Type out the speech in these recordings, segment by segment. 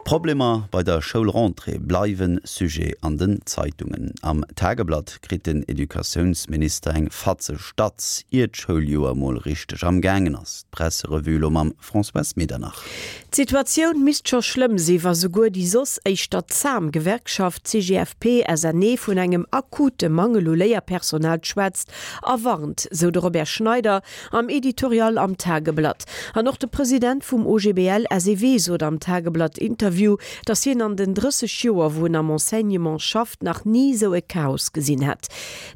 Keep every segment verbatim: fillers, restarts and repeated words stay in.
D'Problemer bei der Schoulrentrée bleiwe Sujet an den Zeitungen. Am Tageblatt kritt den Educatiounsminister eng fatzeg Datz, ier d'Schouljoer mol richteg am gaangen ass. D'Presserevue lo mam Françoise Medernach. D'Situatioun misst scho schlëmm sinn, wa souguer déi soss éischter zam Gewerkschaft C G F P S N E vun engem akute Mangel u Léierpersonal schwätzt a warnt, sou de Robert Schneider am Editorial am Tageblatt. An och de President vum O G B L S E W sot am Tageblatt Interview, dass hien an den drësseg Joer, wou en am Enseignement schafft, nach ni sou e Chaos gesinn hätt.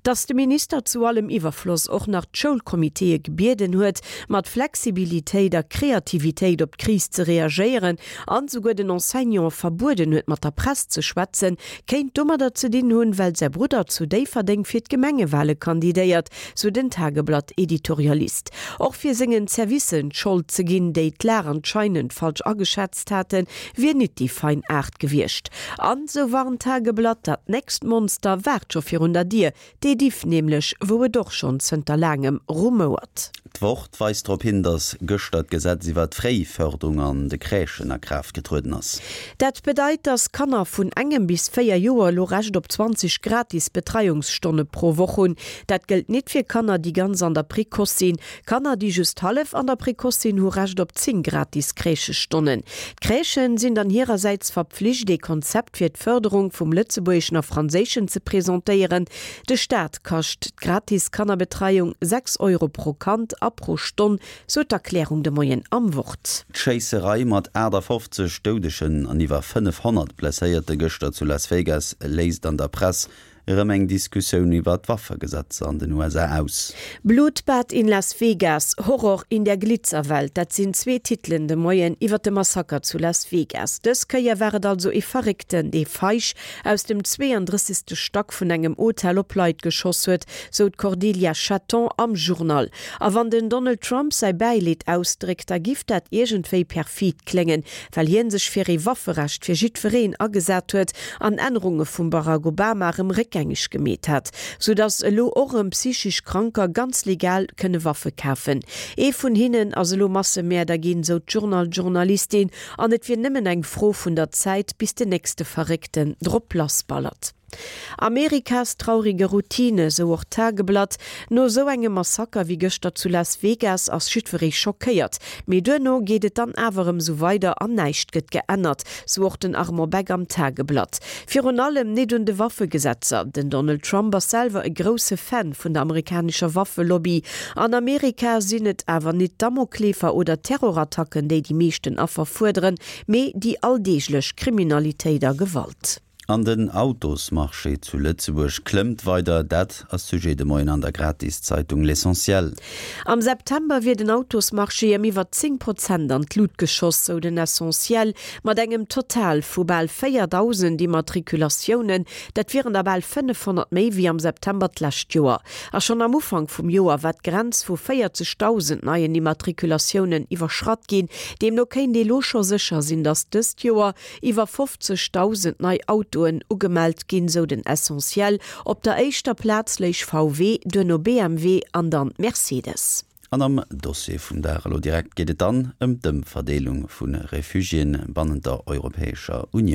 Dass de Minister zu allem Iwwerfloss och nach d'Schoulkommiteeë gebieden huet, mat Flexibilitéit a Kreativitéit op d'Kris ze reagéieren an souguer den Enseignante verbueden huet, mat der Press ze schwätzen, kéint domadder ze dinn hunn, well säi Brudder zu Déifferdeng fir d'Gemengewale kandidéiert, sou den Tageblatt Editorialist. Och fir sengen Servicer d'Schold ze ginn, déi d'Lag anscheinend falsch ageschätzt haten, wier net déi fein Aart gewiescht. An sou warnt d'Tageblatt, dat nächst Monster waart scho virun der Dier, d'Ediff nämlech, wou et och schonn zënter laangem rumouert. D'Wort weist drop hin, dass gëschter d'Gesetz iwwer d'Fréifërderung an de Crèchen a Kraaft getrueden ass. Dat bedeit, dass Kanner vun engem bis véier Joer lo Recht op zwanzeg gratis Betreiungsstonne pro Woch hunn. Dat gëllt net fir Kanner, déi ganz an der Précoce sinn. Kanner, déi just hallef an der Précoce sinn, hu Recht op zéng gratis Crèchestonnen. D'Crèchen sinn dann hirersäits verpflicht, e Konzept fir d'Fërderung vum Lëtzebuergeschen a Franséischen ze presentéieren. De Staat kascht d'gratis Kannerbetreiung sechs Euro pro Kand a pro Stonn, sou d'Erklärung de Moien am Wort. D'Schéisserei mat aachtafofzeg Doudegen an iwwer fënnefhonnert Blesséierte gëschter zu Las Vegas léist an der Press erëm eng Diskussioun iwwer d'Waffegesetzer an den U S A aus. Blutbad in Las Vegas, Horror in der Glitzerwelt, dat sinn zwee Titelen de Moien iwwer de Massaker zu Las Vegas. Dës Kéier war et also e Verréckten, dee feig aus dem zweeëndrëssegste Stack vun engem Hotel op Leit geschoss huet, sou d'Cordelia Chaton am Journal. A wann den Donald Trump säi Bäileed ausdréckt, da giff dat iergendwéi perfid kléngen, well hien sech fir e Wafferecht fir jiddwereen agesat huet an Ännerunge vum Barack Obama rëm réckgängeg gemeet hat, sou dass elo och rëm psychesch Kranker ganz legal kënne Waffe kafen. Ee vun hinnen ass elo Massemäerder ginn, sou d'Journal-Journalistin, an et wier nëmmen eng Fro vun der Zäit, bis den nächste Verréckten drop lassballert. Amerikas traurige Routine, sou och d'Tageblatt. No sou engem Massaker wéi gëschter zu Las Vegas ass jiddweree schockéiert. Mee duerno geet et dann awer rëm sou weider an näischt gëtt geännert, sou och den Armand Beck am Tageblatt. Virun allem net un de Waffegesetzer. Den Donald Trump ass selwer e grousse Fan vun der amerikanescher Waffelobby. An Amerika sinn et awer net Damoklesschwierer oder Terrorattacken, déi déi meeschten Affer fuerderen, mee déi alldeeglech Kriminalitéit a Gewalt. An den Autosmarché zu Lëtzebuerg klëmmt weider, dat ass Sujet de Moien an der Gratiszeitung L'Essentiel. Am September wier den Autosmarché ëm iwwer zéng Prozent an d'Lut geschoss, sou den Essentiel, mat engem Total vu bal véierdausend Immatrikulatiounen, dat wieren der bal fënnefhonnert méi wéi am September d'lescht Joer. A schonn am Ufank vum Joer war d'Grenz vu véierzegdausend neien Immatrikulatiounen iwwerschratt ginn, deemno kéint ee lo scho sécher sinn, datt dëst Joer iwwer fofzegdausend nei Autoen ugemellt ginn, sou den Essentiel. Op der éischter Plaz léich V W, duerno B M W an dann Mercedes. An am Dossier vum Dag elo direkt geet et dann ëm d'Ëmverdeelung vu Refugiéen bannent der Europäescher Unioun.